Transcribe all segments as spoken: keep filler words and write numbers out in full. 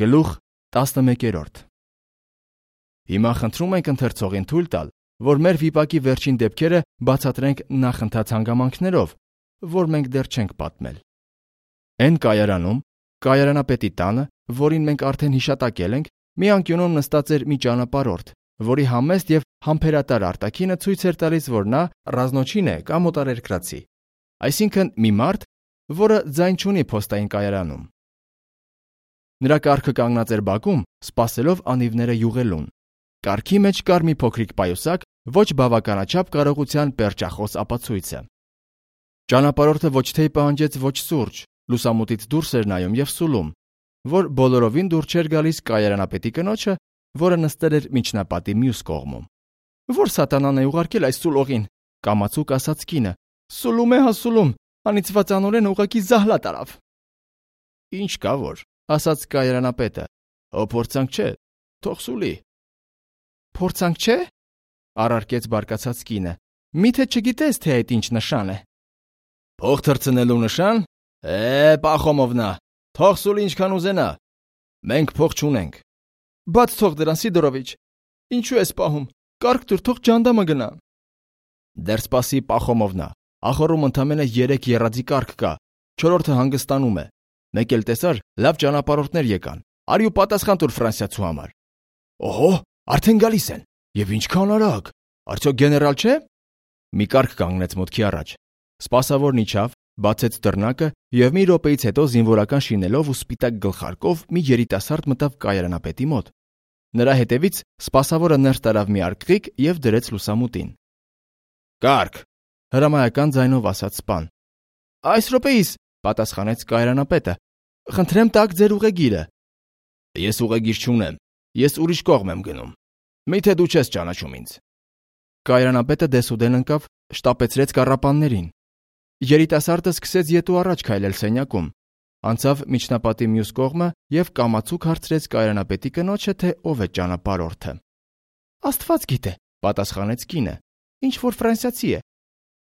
Գլուխ տասնմեկերորդ Հիմա խնդրում ենք ընթերցողին թույլ տալ, որ մեր վիպակի վերջին դեպքերը բացատրենք նախընթաց հանգամանքներով, որ մենք դեռ չենք պատմել։ Այն կայարանում, կայարանապետի տանը, որին մենք արդեն հիշատակել ենք, մի անկյունում նստած էր մի ճանապարհորդ, որի համեստ եւ համբերատար արտաքինը ցույց էր տալիս, որ նա ռազնոչին է կամ օտարերկրացի, այսինքն մի մարդ, որը ձայն չունի փոստային կայարանում։ Նրա կառքը կանգնած էր բակում, սպասելով անիվները յուղելուն։ Կառքի մեջ կար մի փոքրիկ պայուսակ, ոչ բավականաչափ կարողության պերճախոս ապացույցը։ Ճանապարհորդը ոչ թե պահանջեց ոչ սուրճ, լուսամուտից դուրս էր նայում եւ սուլում, որ բոլորովին դուր չէր գալիս կայարանապետի կնոջը, որը նստել էր միջնապատի մյուս կողմում։ Որ սատանան է ուղարկել այս սուլողին, կամացուկ ասաց կինը։ Սուլում է, հա սուլում, անիծված անորեն ուղակի զահլա տարավ։ Ինչ կա որ, ասաց կայարանապետը, հո փորձանք չէ, թող սուլի։ Փորձանք չէ, առարկեց բարկացած կինը, միթե չգիտես, թե այդ ինչ նշան է։ Փող թռցնելու նշան։ Է, Պախոմովնա, թող սուլի ինչքան ուզենա։ Մենք փող չունենք։ Բաց թող դրան, Սիդորովիչ, ինչու ես պահում, կարգ դուր, թող ջանդամը գնա։ Դեռ սպասի, Պախոմովնա, ախորում ընդամենը երեք եռածի կարգ կա, չորրորդը հանգստանում է։ Մեկ էլ տեսար, լավ ճանապարհորդներ եկան, արի ու պատասխան տուր Ֆրանսիացու համար։ Օհո, արդեն գալիս են, եւ ինչքան արագ, արդյոք գեներալ չէ։ Մի կարգ կանգնեց մուտքի առաջ։ Սպասավորն իջավ, բացեց դռնակը եւ մի րոպեից հետո զինվորական շինելով ու սպիտակ գլխարկով մի երիտասարդ մտավ կայարանապետի մոտ։ Նրա հետևից սպասավորը ներս տարավ մի արկղիկ եւ դրեց լուսամուտին։ Կարգ, հրամայական ձայնով ասաց սպան։ Այս րոպեիս, պատասխանեց կայարանապետը։ Խնդրեմ տաք ձեր ուղեգիրը։ Ես ուղեգիր չունեմ, ես ուրիշ կողմ եմ գնում։ Միթե դու չես ճանաչում ինձ։ Կայարանապետը դեսուդեն ընկավ, շտապեցրեց կառապաններին։ Երիտասարդը սկսեց ետ ու առաջ քայլել սենյակում, անցավ միջնապատի մյուս կողմը եւ կամացուկ հարցրեց կայարանապետի կնոջը, թե ով է ճանապարհորդը։ Աստված գիտե, պատասխանեց կինը։ Ինչ որ ֆրանսիացի է։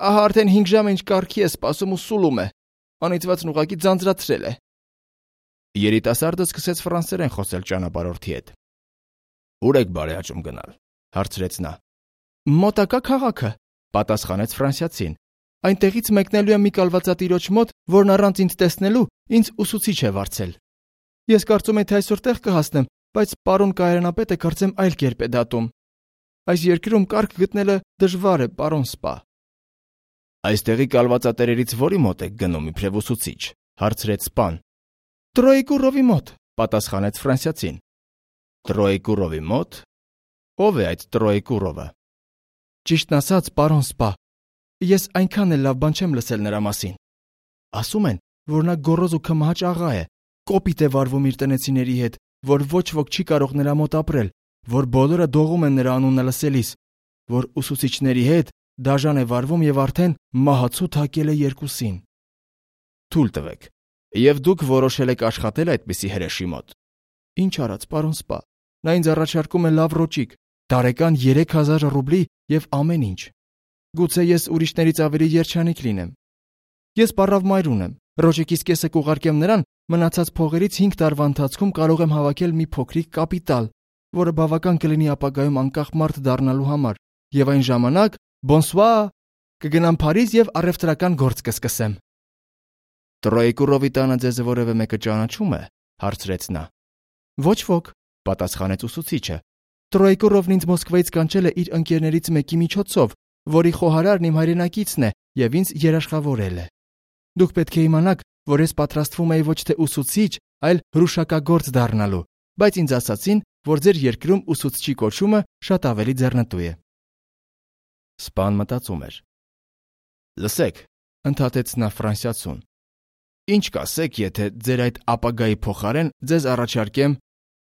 Ահա արդեն հինգ ժամ ինչ կարգի է սպասում ու սուլում է։ Անիծվածն ուղակի ձանձրացրել է։ Երիտասարդը սկսեց ֆրանսերեն խոսել ճանապարհորդի հետ։ Ուր եք բարեհաճում գնալ, հարցրեց նա։ Մոտակա քաղաքը, պատասխանեց ֆրանսիացին։ Այնտեղից մեկնելու եմ մի կալվածատիրոջ մոտ, որն առանց ինձ տեսնելու ինձ ուսուցիչ է վարձել։ Ես կարծում եմ, թե այսօր տեղ կհասնեմ, բայց պարոն կայարանապետը կարծեմ այլ կերպ է դատում։ Այս երկրում կարգ գտնելը դժվար է, պարոն սպա։ Այստեղի կալվածատերերից որի մոտ եք գնում իբրև ուսուցիչ, հարցրեց սպան։ Տրոյեկուրովի մոտ, պատասխանեց ֆրանսիացին։ Տրոյեկուրովի մոտ։ Ով է այդ Տրոյեկուրովը։ Ճիշտն ասած, պարոն սպա, ես այնքան էլ լավ բան չեմ լսել նրա մասին։ Ասում են, որ նա գոռոզ ու քմահաճ աղա է, կոպիտ է վարվում իր տնեցիների հետ, որ ոչ ոք չի կարող նրա մոտ ապրել, որ բոլորը դողում են նրա անունը լսելիս, որ ուսուցիչների հետ դաժան է վարվում եւ արդեն մահացու թակել է երկուսին։ Թույլ տվեք, եւ դուք որոշել եք աշխատել այդպիսի հրեշի մոտ։ Ինչ արած, պարոն սպա, նա ինձ առաջարկում է լավ ռոճիկ, տարեկան երեք հազար ռուբլի եւ ամեն ինչ։ Գուցե ես ուրիշներից ավելի երջանիկ լինեմ։ Ես պարավ մայր ունեմ, ռոճիկիս կեսը կուղարկեմ նրան, մնացած փողերից հինգ տարվա ընթացքում կարող եմ հավաքել մի փոքրիկ կապիտալ, որը բավական կլինի ապագայում անկախ մարդ դառնալու համար, եւ այն ժամանակ բոնսուա կգնամ Փարիզ եւ առևտրական գործ կսկսեմ։ Տրոյեկուրովի տանը ձեզ որևէ մեկը ճանաչում է, հարցրեց նա։ Ոչ ոք, պատասխանեց ուսուցիչը։ Տրոյեկուրովն ինձ Մոսկվայից կանչել է իր ընկերներից մեկի միջոցով, որի խոհարարն իմ հայրենակիցն է եւ ինձ երաշխավորել է։ Դուք պետք է իմանաք, որ ես պատրաստվում եի ոչ թե ուսուցիչ, այլ հրուշակագործ դառնալու, բայց ինձ ասացին, որ ձեր երկրում ուսուցչի կոչումը շատ ավելի ձեռնտու է։ Սպան մտածում էր։ Լսեք, ընդհատեց նա ֆրանսիացուն։ Ինչ կասեք, եթե ձեր այդ ապագայի փոխարեն ձեզ առաջարկեմ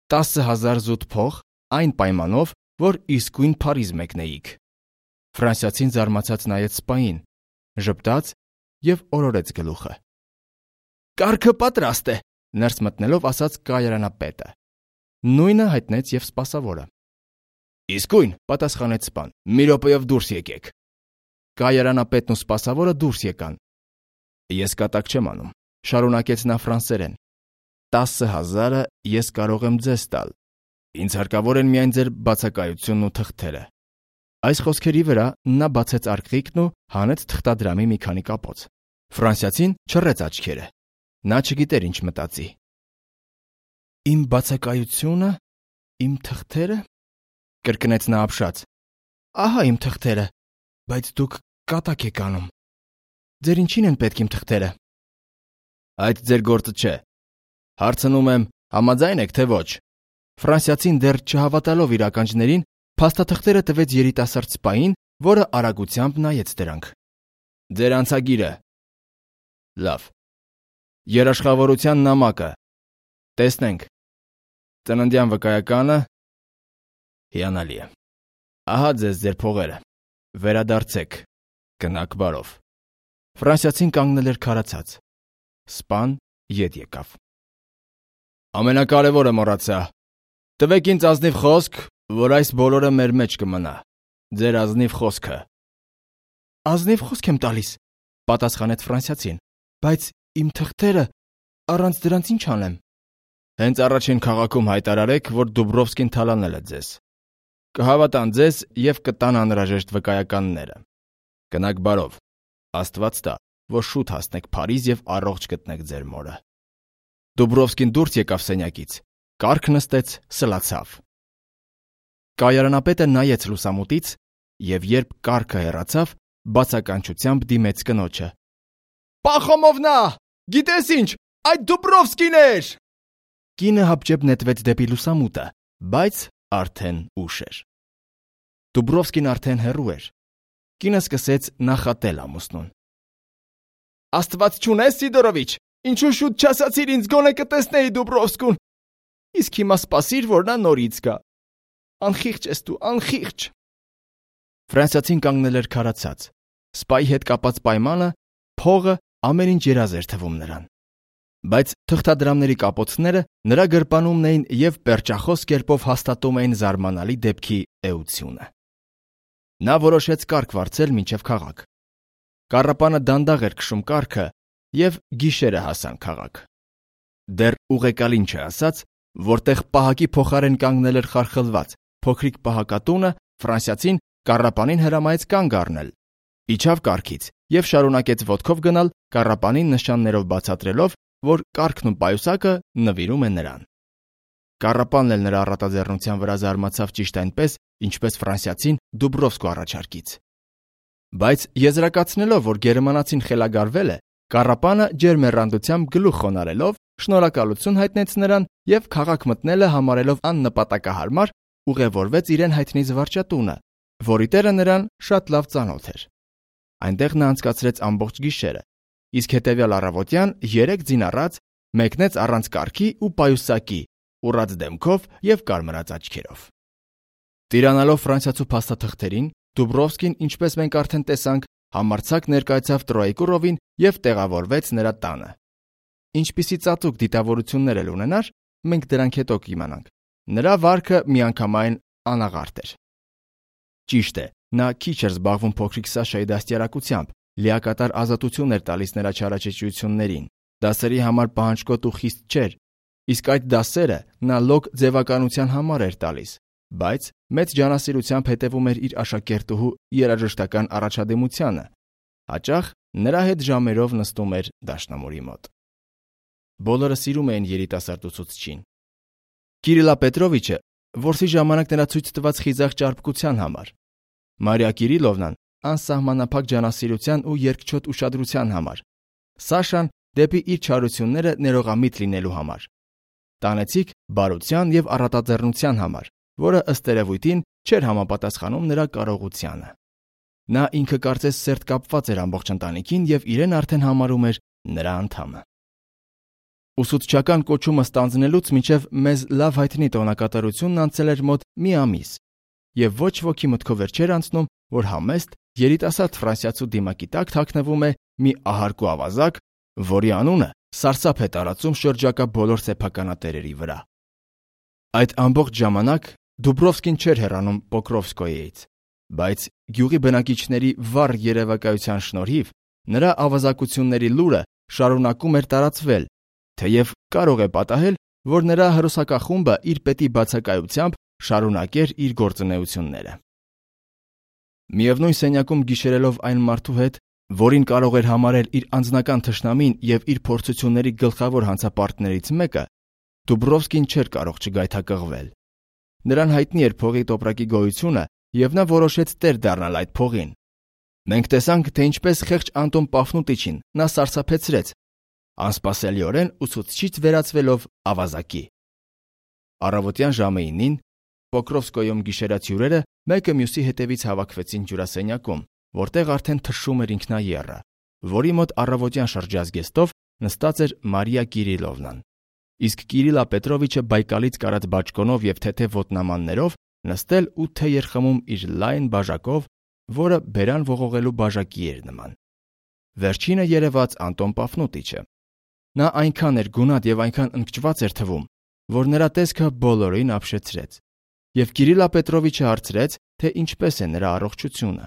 տասը հազար զուտ փող, այն պայմանով, որ իսկույն Փարիզ մեկնեիք։ Ֆրանսիացին զարմացած նայեց սպային, ժպտաց եւ օրորեց գլուխը։ Կարգը պատրաստ է, ներս մտնելով ասաց կայարանապետը։ Նույնը հայտնեց եւ սպասավորը։ Իսկույն, պատասխանեց սպան, մի րոպեով դուրս եկեք։ Կայարանապետն ու սպասավորը դուրս եկան։ Ես կատակ չեմ անում, շարունակեց նա ֆրանսերեն։ տասը հազարը ես կարող եմ ձեզ տալ։ Ինձ հարկավոր են միայն ձեր բացակայությունն ու թղթերը։ Այս խոսքերի վրա նա բացեց արկղիկն ու հանեց թղթադրամի մի քանի կապոց։ Ֆրանսիացին չռեց աչքերը։ Նա չգիտեր ինչ մտածի։ Իմ բացակայությունը, իմ թղթերը, կրկնեց նա ապշած։ Ահա իմ թղթերը, բայց դուք կատակ եք անում։ Ձեր ինչին են պետք իմ թղթերը։ Այդ ձեր գործը չէ։ Հարցնում եմ, համաձայն եք թե ոչ։ Ֆրանսիացին դեռ չհավատալով իր ականջներին, փաստաթղթերը տվեց երիտասարդ սպային, որը արագությամբ նայեց դրանք։ Ձեր անցագիրը։ Լավ։ Երաշխավորության նամակը։ Տեսնենք։ Ծննդյան վկայականը։ Հիանալի է։ Ահա ձեզ ձեր փողերը։ Վերադարձեք։ Գնաք բարով։ Ֆրանսիացին կանգնել էր քարացած։ Սպան ետ եկավ։ Ամենակարևորը մոռացա։ Տվեք ինձ ազնիվ խոսք, որ այս բոլորը մեր մեջ կմնա։ Ձեր ազնիվ խոսքը։ Ազնիվ խոսք եմ տալիս, պատասխանեց ֆրանսիացին, բայց իմ թղթերը, առանց դրանց ինչ անեմ։ Հենց առաջին քաղաքում հայտարարեք, որ Դուբրովսկին թալանել է ձեզ։ Կհավատան ձեզ եւ կտան անհրաժեշտ վկայականները։ Գնաք բարով։ Աստված տա, որ շուտ հասնեք Փարիզ եւ առողջ գտնեք ձեր մորը։ Դուբրովսկին դուրս եկավ սենյակից, կառք նստեց, սլացավ։ Կայարանապետը նայեց լուսամուտից եւ երբ կառքը հեռացավ, բացականչությամբ դիմեց կնոջը։ Պախոմովնա, գիտես ինչ, այդ Դուբրովսկին էր։ Կինը հապճեպ նետվեց դեպի լուսամուտը, բայց արդեն ուշ էր։ Դուբրովսկին արդեն հեռու էր։ Կինը սկսեց նախատել ամուսնուն։ Աստված չունես, Սիդորովիչ, ինչու շուտ չասացիր ինձ, գոնե կտեսնեի Դուբրովսկուն։ Իսկ հիմա սպասիր, որ նա նորից գա։ Անխիղճ ես դու, անխիղճ։ Ֆրանսիացին կանգնել էր քարացած։ Սպայի հետ կապած պայմանը, փողը ամեն ինչ երազ էր թվում նրան։ Բայց թղթադրամների կապոցները նրա գրպանումն էին եւ պերճախոս կերպով հաստատում էին զարմանալի դեպքի էությունը։ Նա որոշեց կառք վարձել մինչև քաղաք։ Կառապանը դանդաղ էր քշում կառքը եւ գիշերը հասան քաղաք։ Դեռ ուղեկալին չասաց, որտեղ պահակի փոխարեն կանգնել էր խարխլված փոքրիկ պահակատունը, ֆրանսիացին կառապանին հրամայեց կանգ առնել։ Իջավ կառքից եւ շարունակեց ոտքով գնալ, կառապանին նշաններով բացատրելով, որ կառքն ու պայուսակը նվիրում են նրան։ Կառապանն էլ նրա առատաձեռնության վրա զարմացավ ճիշտ այնպես, ինչպես ֆրանսիացին Դուբրովսկու առաջարկից։ Բայց եզրակացնելով, որ գերմանացին խելագարվել է, կառապանը ջերմեռանդությամբ գլուխ խոնարելով շնորհակալություն հայտնեց նրան եւ քաղաք մտնելը համարելով աննպատակահարմար, ուղևորվեց իրեն հայտնի զվարճատունը, որի տերը նրան շատ լավ ծանոթ էր։ Այնտեղ նա անցկացրեց ամբողջ գիշերը, իսկ հետևյալ առավոտյան երեք ձին առած մեկնեց առանց կառքի ու պայուսակի, ուռած դեմքով եւ կարմրած աչքերով։ Տիրանալով ֆրանսիացու փաստաթղթերին, Դուբրովսկին, ինչպես մենք արդեն տեսանք, համարձակ ներկայացավ Տրոյեկուրովին եւ տեղավորվեց նրա տանը։ Ինչպիսի ծածուկ դիտավորություններ էլ ունենար, մենք դրանք հետո կիմանանք։ Նրա վարքը միանգամայն անաղարտ էր։ Ճիշտ է, նա քիչ էր զբաղվում փոքրիկ Սաշայի դաստիարակությամբ, լիակատար ազատություն էր տալիս նրա չարաճճիություններին, դասերի համար պահանջկոտ ու խիստ չէր, իսկ այդ դասերը նա լոկ ձևականության համար էր տալիս, բայց մեծ ջանասիրությամբ հետևում էր իր աշակերտուհու երաժշտական առաջադիմությանը, հաճախ նրա հետ ժամերով նստում էր դաշնամուրի մոտ։ Բոլորը սիրում էին երիտասարդ ուսուցչին։ Կիրիլա Պետրովիչը որսի ժամանակ նրա ցույց տված խիզախ ճարպկության համար, Մարիա Կիրիլովնան անսահմանափակ ջանասիրության ու երկչոտ ուշադրության համար, Սաշան դեպի իր չարությունները ներողամիտ լինելու համար, տանեցիկ բարության եւ առատաձեռնության համար, որը ըստ երևույթին չէր համապատասխանում նրա կարողությանը։ Նա ինքը կարծես սերտ կապված էր ամբողջ ընտանիքին եւ իրեն արդեն համարում էր նրա անդամը։ Ուսուցչական կոչումը ստանձնելուց մինչև մեզ լավ հայտնի տոնակատարությունն անցել էր մոտ մի ամիս, եւ ոչ ոքի մտքով չէր անցնում, որ համեստ երիտասարդ ֆրանսիացու դիմակի տակ թաքնվում է մի ահարկու ավազակ, որի անունը սարսափ է տարածում շրջակա բոլոր սեփականատերերի վրա։ Այդ ամբողջ ժամանակ Դուբրովսկին չէր հեռանում Պոկրովսկոյից, բայց գյուղի բնակիչների վառ երևակայության շնորհիվ նրա ավազակությունների լուրը շարունակում էր տարածվել, թեև կարող է պատահել, որ նրա հրոսակախումբը իր պետի բացակայությամբ շարունակեր իր գործունեությունները։ Միևնույն սենյակում գիշերելով այն մարդու հետ, որին կարող էր համարել իր անձնական թշնամին եւ իր փորձությունների գլխավոր հանցապարտներից մեկը, Դուբրովսկին չէր կարող չգայթակղվել։ Նրան հայտնի էր փողի տոպրակի գոյությունը եւ նա որոշեց տեր դառնալ այդ փողին։ Մենք տեսանք, թե ինչպես խեղճ Անտոն Պաֆնուտիչին նա սարսափեցրեց, անսպասելիորեն ուսուցչից վերածվելով ավազակի։ Առավոտյան ժամը ինին Պոկրովսկոյում գիշերած հյուրերը մեկը մյուսի հետևից հավաքվեցին հյուրասենյակում, որտեղ արդեն թշում էր ինքնաեռը, որի մոտ առավոտյան շրջազգեստով նստած էր Մարիա Կիրիլովնան, իսկ Կիրիլա Պետրովիչը բայկալից կարած բաճկոնով եւ թեթև ոտնամաններով նստել ու թեյ էր խմում իր լայն բաժակով, որը բերան ողողելու բաժակի էր նման։ Վերջինը երևաց Անտոն Պաֆնուտիչը։ Նա այնքան էր գունատ եւ այնքան ընկճված էր թվում, որ նրա տեսքը բոլորին ապշեցրեց, եւ Կիրիլա Պետրովիչը հարցրեց, թե ինչպես է նրա առողջությունը։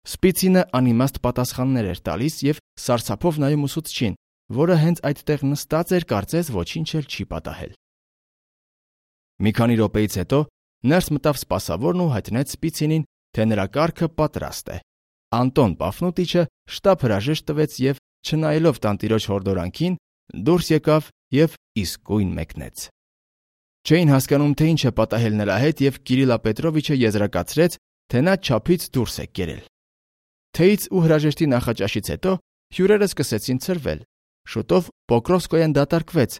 Սպիցինը անիմաստ պատասխաններ էր տալիս եւ սարսափով նայում ուսուցչին, որը հենց այդտեղ նստած էր, կարծես ոչինչ էլ չի պատահել։ Մի քանի րոպեից հետո ներս մտավ սպասավորն ու հայտնեց Սպիցինին, թե նրա կառքը պատրաստ է։ Անտոն Պաֆնուտիչը շտապ հրաժեշտ տվեց եւ, չնայելով տանտիրոջ հորդորանքին, դուրս եկավ եւ իսկույն մեկնեց։ Չէին հասկանում, թե ինչ է պատահել նրա հետ, եւ Կիրիլա Պետրովիչը եզրակացրեց, թե նա չափից դուրս է կերել։ Թեյից ու հրաժեշտի նախաճաշից հետո հյուրերը սկսեցին ցրվել։ Շուտով Պոկրովսկոյան դատարկվեց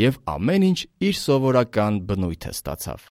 եւ ամեն ինչ իր սովորական բնույթը ստացավ։